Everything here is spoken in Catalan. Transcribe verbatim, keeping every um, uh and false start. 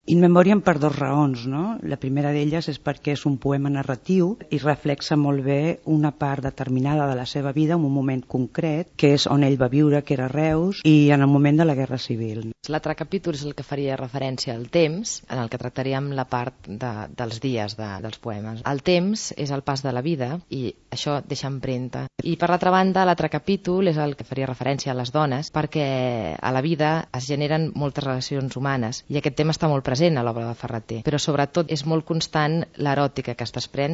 In Memoriam per dues raons, no? La primera d'elles és perquè és un poema narratiu i reflexa molt bé una part determinada de la seva vida en un moment concret, que és on ell va viure, que era Reus, i en el moment de la Guerra Civil. L'altre capítol és el que faria referència al temps, en el que tractaríem la part de, dels dies de, dels poemes. El temps és el pas de la vida i això deixa empremta. I per l'altra banda, l'altre capítol és el que faria referència a les dones, perquè a la vida es generen moltes relacions humanes i aquest tema està molt present a l'obra de Ferrater, però sobretot és molt constant l'eròtica que es desprèn